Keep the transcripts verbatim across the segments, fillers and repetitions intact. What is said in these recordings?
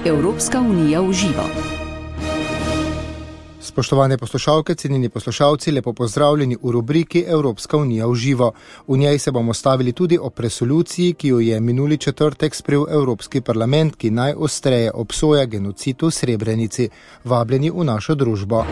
Evropska unija v živo. Spoštovane poslušalke, cenjeni poslušalci, lepo pozdravljeni v rubriki Evropska unija v živo. V njej se bomo stavili tudi o resoluciji, ki jo je minuli četrtek sprejel Evropski parlament, ki najostreje obsoja genocid v Srebrenici. Vabljeni v našo družbo.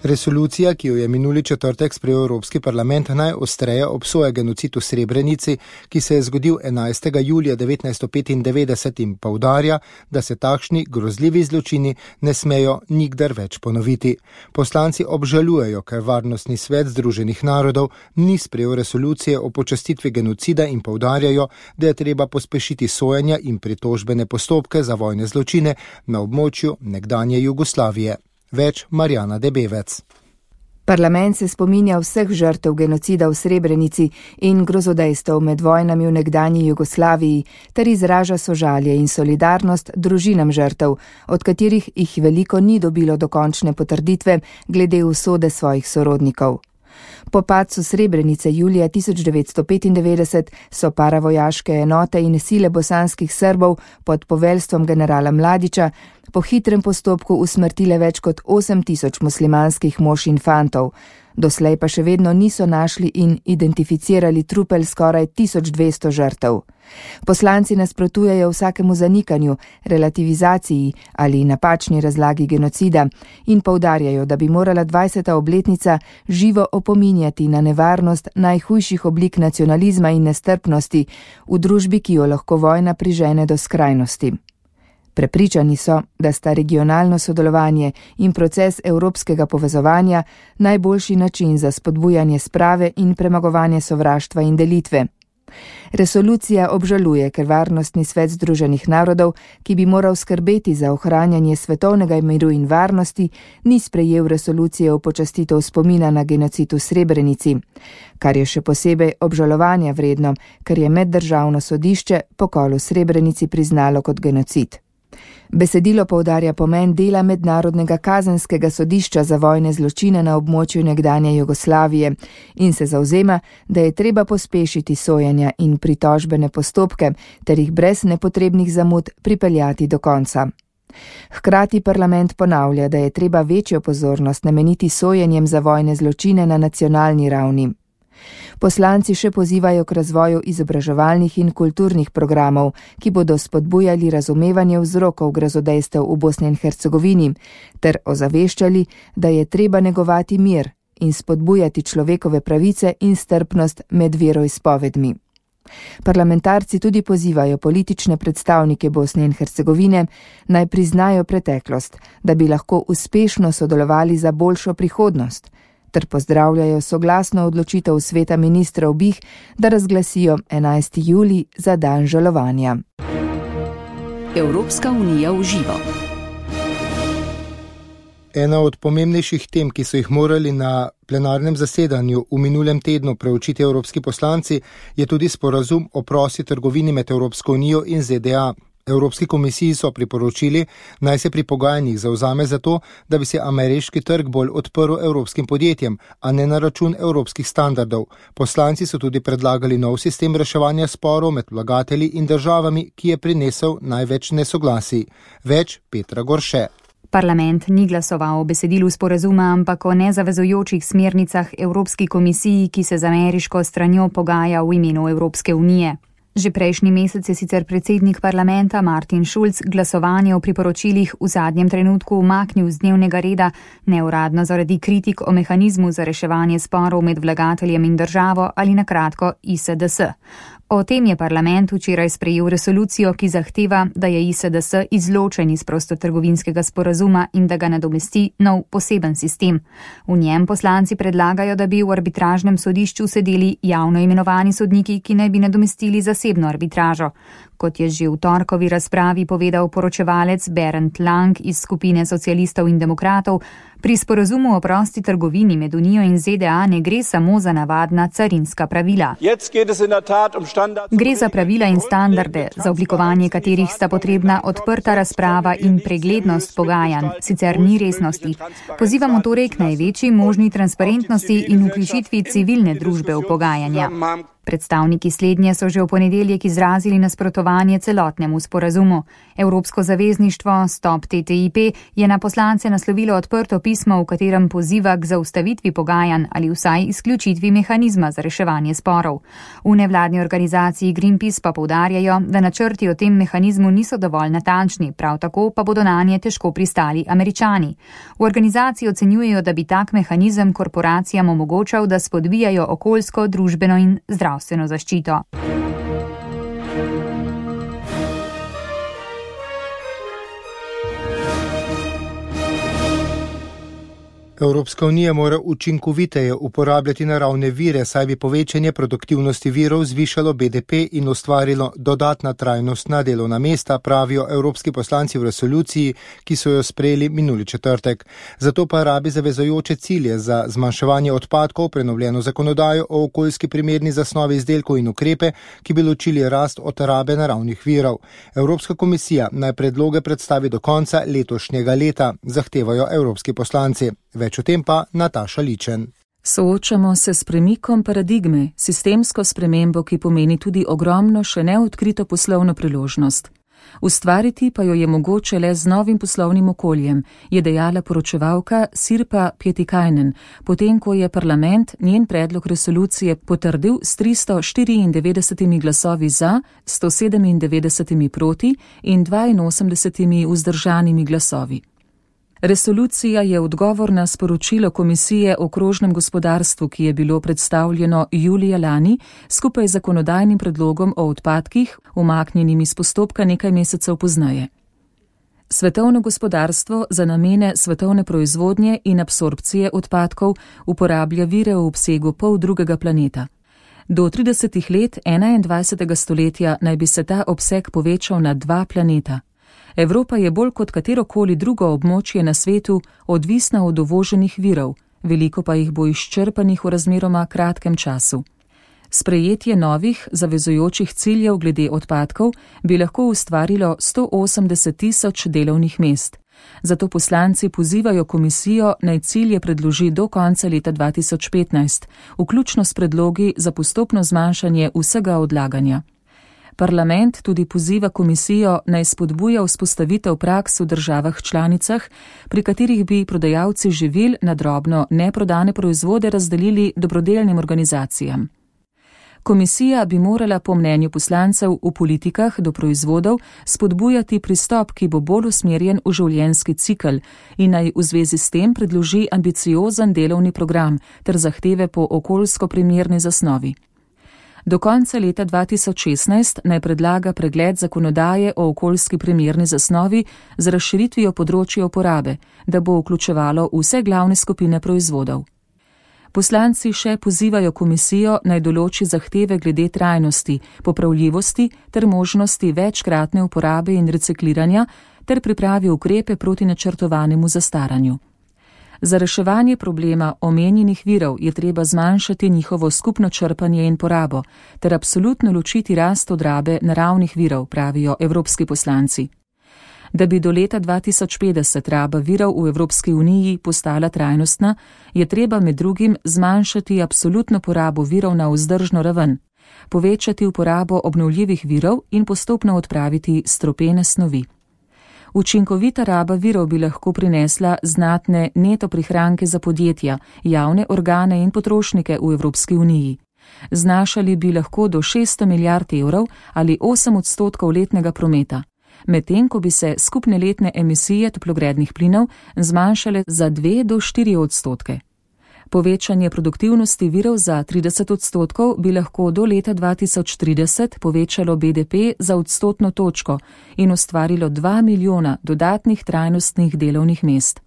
Resolucija, ki jo je minuli četrtek sprejel Evropski parlament, najostreje obsoja genocid v Srebrenici, ki se je zgodil enajstega julija devetnajststo petindevetdeset in poudarja, da se takšni grozljivi zločini ne smejo nikdar več ponoviti. Poslanci obžalujejo, ker Varnostni svet Združenih narodov ni sprejel resolucije o počastitvi genocida in poudarjajo, da je treba pospešiti sojenja in pritožbene postopke za vojne zločine na območju nekdanje Jugoslavije. Več Marjana Debevec. Parlament se spominja vseh žrtev genocida v Srebrenici in grozodejstev med vojnami v nekdanji Jugoslaviji ter izraža sožalje in solidarnost družinam žrtev, od katerih jih veliko ni dobilo dokončne potrditve glede usode svojih sorodnikov. Po padcu Srebrenice julija tisoč devetsto petindevetdeset so paravojaške enote in sile bosanskih Srbov pod poveljstvom generala Mladića po hitrem postopku usmrtile več kot osem tisoč muslimanskih mož in fantov. Doslej pa še vedno niso našli in identificirali trupel skoraj tisoč dvesto žrtev. Poslanci nasprotujejo vsakemu zanikanju, relativizaciji ali napačni razlagi genocida in poudarjajo, da bi morala dvajseta obletnica živo opominjati na nevarnost najhujših oblik nacionalizma in nestrpnosti v družbi, ki jo lahko vojna prižene do skrajnosti. Prepričani so, da sta regionalno sodelovanje in proces evropskega povezovanja najboljši način za spodbujanje sprave in premagovanje sovraštva in delitve. Resolucija obžaluje, ker Varnostni svet Združenih narodov, ki bi moral skrbeti za ohranjanje svetovnega miru in varnosti, ni sprejel resolucije o počastitev spomina na genocid v Srebrenici, kar je še posebej obžalovanja vredno, ker je meddržavno sodišče pokol v Srebrenici priznalo kot genocid. Besedilo poudarja pomen dela Mednarodnega kazenskega sodišča za vojne zločine na območju nekdanje Jugoslavije in se zavzema, da je treba pospešiti sojenja in pritožbene postopke ter jih brez nepotrebnih zamud pripeljati do konca. Hkrati parlament ponavlja, da je treba večjo pozornost nameniti sojenjem za vojne zločine na nacionalni ravni. Poslanci še pozivajo k razvoju izobraževalnih in kulturnih programov, ki bodo spodbujali razumevanje vzrokov grozodejstev v Bosni in Hercegovini, ter ozaveščali, da je treba negovati mir in spodbujati človekove pravice in strpnost med veroizpovedmi. Parlamentarci tudi pozivajo politične predstavnike Bosne in Hercegovine naj priznajo preteklost, da bi lahko uspešno sodelovali za boljšo prihodnost, ter pozdravljajo soglasno odločitev sveta ministrov B I H, da razglasijo enajsti julij za dan žalovanja. Evropska unija v živo. Ena od pomembnejših tem, ki so jih morali na plenarnem zasedanju v minulem tednu preučiti evropski poslanci, je tudi sporazum o prosti trgovini med Evropsko unijo in Z D A. Evropski komisiji so priporočili, naj se pri pogajanjih zavzame za to, da bi se ameriški trg bolj odprl evropskim podjetjem, a ne na račun evropskih standardov. Poslanci so tudi predlagali nov sistem reševanja sporov med vlagatelji in državami, ki je prinesel največ nesoglasij. Več Petra Gorše. Parlament ni glasoval o besedilu sporazuma, ampak o nezavezujočih smernicah Evropski komisiji, ki se z ameriško stranjo pogaja v imenu Evropske unije. Že prejšnji mesec je sicer predsednik parlamenta Martin Schulz glasovanje o priporočilih v zadnjem trenutku umaknil z dnevnega reda, neuradno zaradi kritik o mehanizmu za reševanje sporov med vlagateljem in državo ali na kratko I S D S. O tem je parlament včeraj sprejel resolucijo, ki zahteva, da je I S D S izločen iz prostotrgovinskega sporazuma in da ga nadomesti nov poseben sistem. V njem poslanci predlagajo, da bi v arbitražnem sodišču sedeli javno imenovani sodniki, ki naj bi nadomestili zasebno arbitražo. Kot je že v torkovi razpravi povedal poročevalec Bernd Lang iz skupine socialistov in demokratov, Pri sporazumu o prosti trgovini med Unijo in Z D A ne gre samo za navadna carinska pravila. Gre za pravila in standarde, za oblikovanje katerih sta potrebna odprta razprava in preglednost pogajanj, sicer ni resnosti. Pozivamo torej k največji možni transparentnosti in vključitvi civilne družbe v pogajanja. Predstavniki slednje so že v ponedeljek izrazili nasprotovanje celotnemu sporazumu. Evropsko zavezništvo Stop T T I P je na poslance naslovilo odprto pismo, v katerem poziva k zaustavitvi pogajanj ali vsaj izključitvi mehanizma za reševanje sporov. V nevladni organizaciji Greenpeace pa poudarjajo, da načrti o tem mehanizmu niso dovolj natančni, prav tako pa bodo nanje težko pristali Američani. V organizaciji ocenjujejo, da bi tak mehanizem korporacijam omogočal, da spodbijajo okoljsko, družbeno in zdravstveno zaščito. Evropska unija mora učinkoviteje uporabljati naravne vire, saj bi povečanje produktivnosti virov zvišalo B D P in ustvarilo dodatna trajnostna delovna mesta, pravijo evropski poslanci v resoluciji, ki so jo sprejeli minuli četrtek. Zato pa rabi zavezujoče cilje za zmanjševanje odpadkov, prenovljeno zakonodajo o okoljski primerni zasnovi izdelkov in ukrepe, ki bi ločili rast od rabe naravnih virov. Evropska komisija naj predloge predstavi do konca letošnjega leta, zahtevajo evropski poslanci. Več o tem pa Nataša Ličen. Soočamo se s premikom paradigme, sistemsko spremembo, ki pomeni tudi ogromno še neodkrito poslovno priložnost. Ustvariti pa jo je mogoče le z novim poslovnim okoljem, je dejala poročevalka Sirpa Pietikainen, potem ko je parlament njen predlog resolucije potrdil s tristo štiriindevetdeset glasovi za, sto sedemindevetdeset proti in dvainosemdeset vzdržanimi glasovi. Resolucija je odgovor na sporočilo Komisije o krožnem gospodarstvu, ki je bilo predstavljeno julija lani skupaj z zakonodajnim predlogom o odpadkih, umaknjenim iz postopka nekaj mesecev pozneje. Svetovno gospodarstvo za namene svetovne proizvodnje in absorpcije odpadkov uporablja vire v obsegu pol drugega planeta. Do tridesetih let enaindvajsetega stoletja naj bi se ta obseg povečal na dva planeta. Evropa je bolj kot katerokoli drugo območje na svetu odvisna od uvoženih virov, veliko pa jih bo izčrpanih v razmeroma kratkem času. Sprejetje novih, zavezujočih ciljev glede odpadkov bi lahko ustvarilo sto osemdeset tisoč delovnih mest. Zato poslanci pozivajo komisijo, naj cilje predloži do konca leta dva tisoč petnajst, vključno s predlogi za postopno zmanjšanje vsega odlaganja. Parlament tudi poziva komisijo, naj spodbuja vzpostavitev praks v državah članicah, pri katerih bi prodajalci živil na drobno neprodane proizvode razdelili dobrodelnim organizacijam. Komisija bi morala po mnenju poslancev v politikah do proizvodov spodbujati pristop, ki bo bolj usmerjen v življenjski cikel in naj v zvezi s tem predloži ambiciozen delovni program ter zahteve po okoljsko primerni zasnovi. Do konca leta dva tisoč šestnajst naj predlaga pregled zakonodaje o okoljski primerni zasnovi z razširitvijo področja uporabe, da bo vključevalo vse glavne skupine proizvodov. Poslanci še pozivajo komisijo, naj določi zahteve glede trajnosti, popravljivosti ter možnosti večkratne uporabe in recikliranja ter pripravi ukrepe proti načrtovanemu zastaranju. Za reševanje problema omenjenih virov je treba zmanjšati njihovo skupno črpanje in porabo ter absolutno ločiti rast od rabe naravnih virov, pravijo evropski poslanci. Da bi do leta dva tisoč petdeset raba virov v Evropski uniji postala trajnostna, je treba med drugim zmanjšati absolutno porabo virov na vzdržno raven, povečati uporabo obnovljivih virov in postopno odpraviti strupene snovi. Učinkovita raba virov bi lahko prinesla znatne neto prihranke za podjetja, javne organe in potrošnike v Evropski uniji. Znašali bi lahko do šeststo milijard evrov ali osem odstotkov letnega prometa, medtem ko bi se skupne letne emisije toplogrednih plinov zmanjšale za dve do štiri odstotke. Povečanje produktivnosti virov za trideset odstotkov bi lahko do leta dva tisoč trideset povečalo B D P za odstotno točko in ustvarilo dva milijona dodatnih trajnostnih delovnih mest.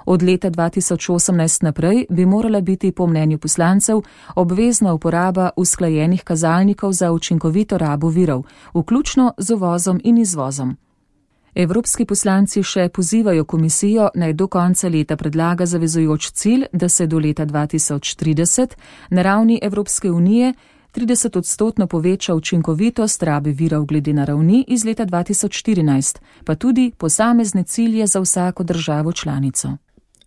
Od leta dva tisoč osemnajst naprej bi morala biti po mnenju poslancev obvezna uporaba usklajenih kazalnikov za učinkovito rabo virov, vključno z uvozom in izvozom. Evropski poslanci še pozivajo komisijo, naj do konca leta predlaga zavezujoč cilj, da se do leta dva tisoč trideset na ravni Evropske unije trideset odstotno poveča učinkovitost rabe virov glede na ravni iz leta dva tisoč štirinajst, pa tudi posamezne cilje za vsako državo članico.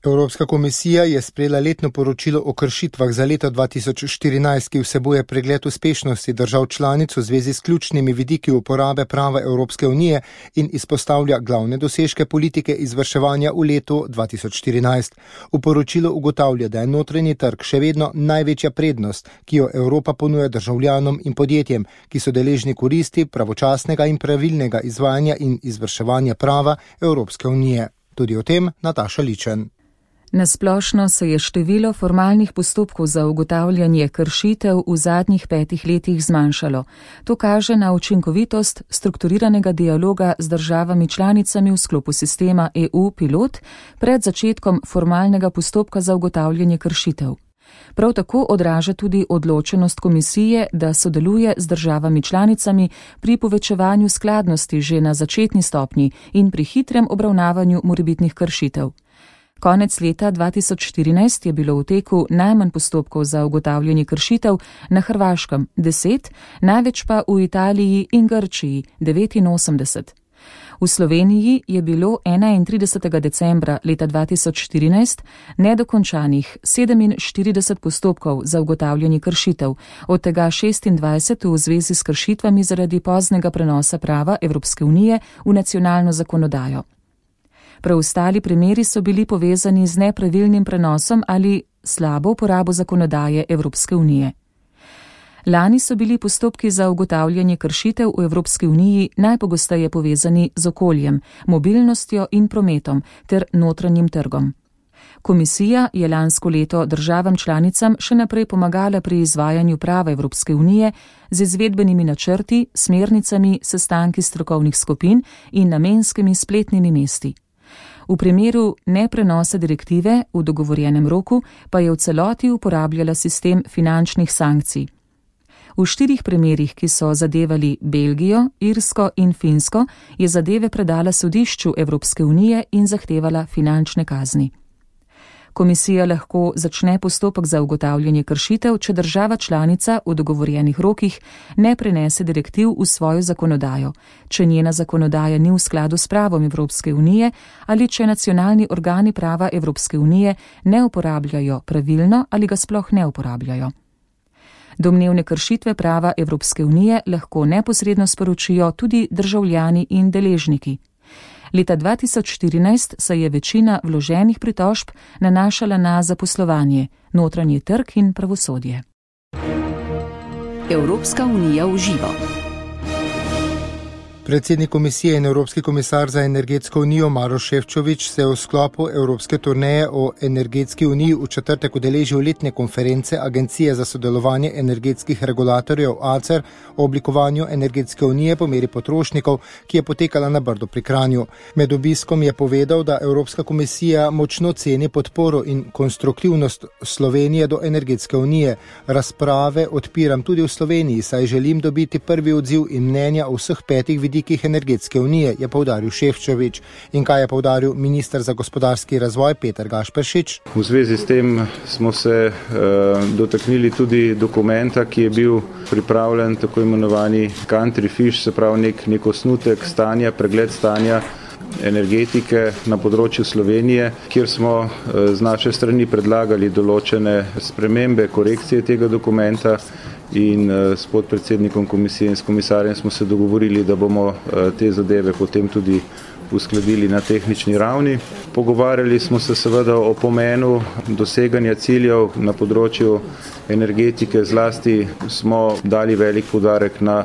Evropska komisija je sprejela letno poročilo o kršitvah za leto dva tisoč štirinajst, ki vsebuje pregled uspešnosti držav članic v zvezi s ključnimi vidiki uporabe prava Evropske unije in izpostavlja glavne dosežke politike izvrševanja v letu dva tisoč štirinajst. V poročilu ugotavlja, da je notranji trg še vedno največja prednost, ki jo Evropa ponuja državljanom in podjetjem, ki so deležni koristi pravočasnega in pravilnega izvajanja in izvrševanja prava Evropske unije. Tudi o tem Nataša Ličen. Nasplošno se je število formalnih postopkov za ugotavljanje kršitev v zadnjih petih letih zmanjšalo. To kaže na učinkovitost strukturiranega dialoga z državami članicami v sklopu sistema E U Pilot pred začetkom formalnega postopka za ugotavljanje kršitev. Prav tako odraža tudi odločenost komisije, da sodeluje z državami članicami pri povečevanju skladnosti že na začetni stopnji in pri hitrem obravnavanju morebitnih kršitev. Konec leta dva tisoč štirinajst je bilo v teku najmanj postopkov za ugotavljanje kršitev na Hrvaškem deset, največ pa v Italiji in Grčiji devetinosemdeset. V Sloveniji je bilo enaintridesetega decembra leta dva tisoč štirinajst nedokončanih sedeminštirideset postopkov za ugotavljanje kršitev, od tega šestindvajset v zvezi s kršitvami zaradi poznega prenosa prava Evropske unije v nacionalno zakonodajo. Preostali primeri so bili povezani z nepravilnim prenosom ali slabo uporabo zakonodaje Evropske unije. Lani so bili postopki za ugotavljanje kršitev v Evropski uniji najpogosteje povezani z okoljem, mobilnostjo in prometom ter notranjim trgom. Komisija je lansko leto državam članicam še naprej pomagala pri izvajanju prava Evropske unije z izvedbenimi načrti, smernicami, sestanki strokovnih skupin in namenskimi spletnimi mesti. V primeru neprenosa direktive v dogovorjenem roku pa je v celoti uporabljala sistem finančnih sankcij. V štirih primerih, ki so zadevali Belgijo, Irsko in Finsko, je zadeve predala sodišču Evropske unije in zahtevala finančne kazni. Komisija lahko začne postopek za ugotavljanje kršitev, če država članica v dogovorjenih rokih ne prenese direktiv v svojo zakonodajo, če njena zakonodaja ni v skladu s pravom Evropske unije ali če nacionalni organi prava Evropske unije ne uporabljajo pravilno ali ga sploh ne uporabljajo. Domnevne kršitve prava Evropske unije lahko neposredno sporočijo tudi državljani in deležniki. Leta dva tisoč štirinajst se je večina vloženih pritožb nanašala na zaposlovanje, notranji trg in pravosodje. Evropska unija v živo. Predsednik komisije in Evropski komisar za energetsko unijo Maroš Šefčovič se je v sklopu Evropske turneje o energetski uniji v četrtek udeležil letne konference Agencije za sodelovanje energetskih regulatorjev A C E R o oblikovanju energetske unije po meri potrošnikov, ki je potekala na Brdu pri Kranju. Med obiskom je povedal, da Evropska komisija močno ceni podporo in konstruktivnost Slovenije do energetske unije. Razprave odpiram tudi v Sloveniji, saj želim dobiti prvi odziv in mnenja o vseh petih vidikih energetske unije, je poudaril Šefčovič. In kaj je poudaril minister za gospodarski razvoj Peter Gašperšič? V zvezi s tem smo se uh, dotaknili tudi dokumenta, ki je bil pripravljen, tako imenovani country fish, se pravi nek, nek osnutek stanja, pregled stanja energetike na področju Slovenije, kjer smo uh, z naše strani predlagali določene spremembe, korekcije tega dokumenta. In s podpredsednikom komisije in s komisarjem smo se dogovorili, da bomo te zadeve potem tudi uskladili na tehnični ravni. Pogovarjali smo se seveda o pomenu doseganja ciljev na področju energetike, zlasti smo dali velik poudarek na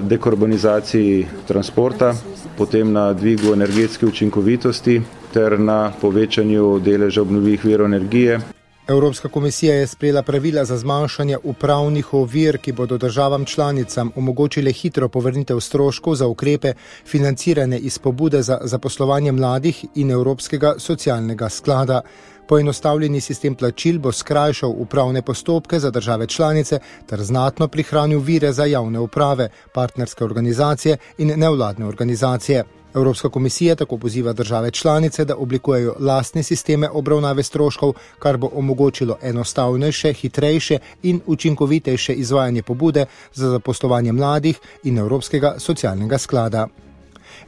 dekarbonizaciji transporta, potem na dvigu energetske učinkovitosti ter na povečanju deleža obnovljivih virov energije. Evropska komisija je sprejela pravila za zmanjšanje upravnih ovir, ki bodo državam članicam omogočile hitro povrnitev stroškov za ukrepe financirane iz pobude za zaposlovanje mladih in Evropskega socialnega sklada. Poenostavljeni sistem plačil bo skrajšal upravne postopke za države članice ter znatno prihranil vire za javne uprave, partnerske organizacije in nevladne organizacije. Evropska komisija tako poziva države članice, da oblikujejo lastne sisteme obravnave stroškov, kar bo omogočilo enostavnejše, hitrejše in učinkovitejše izvajanje pobude za zaposlovanje mladih in Evropskega socialnega sklada.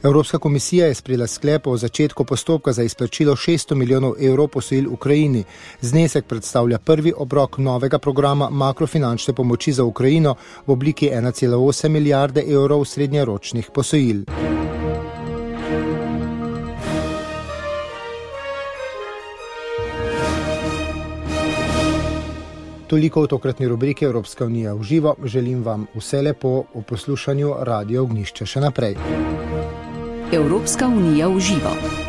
Evropska komisija je sprejela sklep o začetku postopka za izplačilo šeststo milijonov evrov posojil Ukrajini. Znesek predstavlja prvi obrok novega programa makrofinančne pomoči za Ukrajino v obliki ena cela osem milijarde evrov srednjeročnih posojil. Toliko v tokratni rubriki Evropska unija v živo. Želim vam vse lepo v poslušanju Radio Ognjišče še naprej. Evropska unija v živo.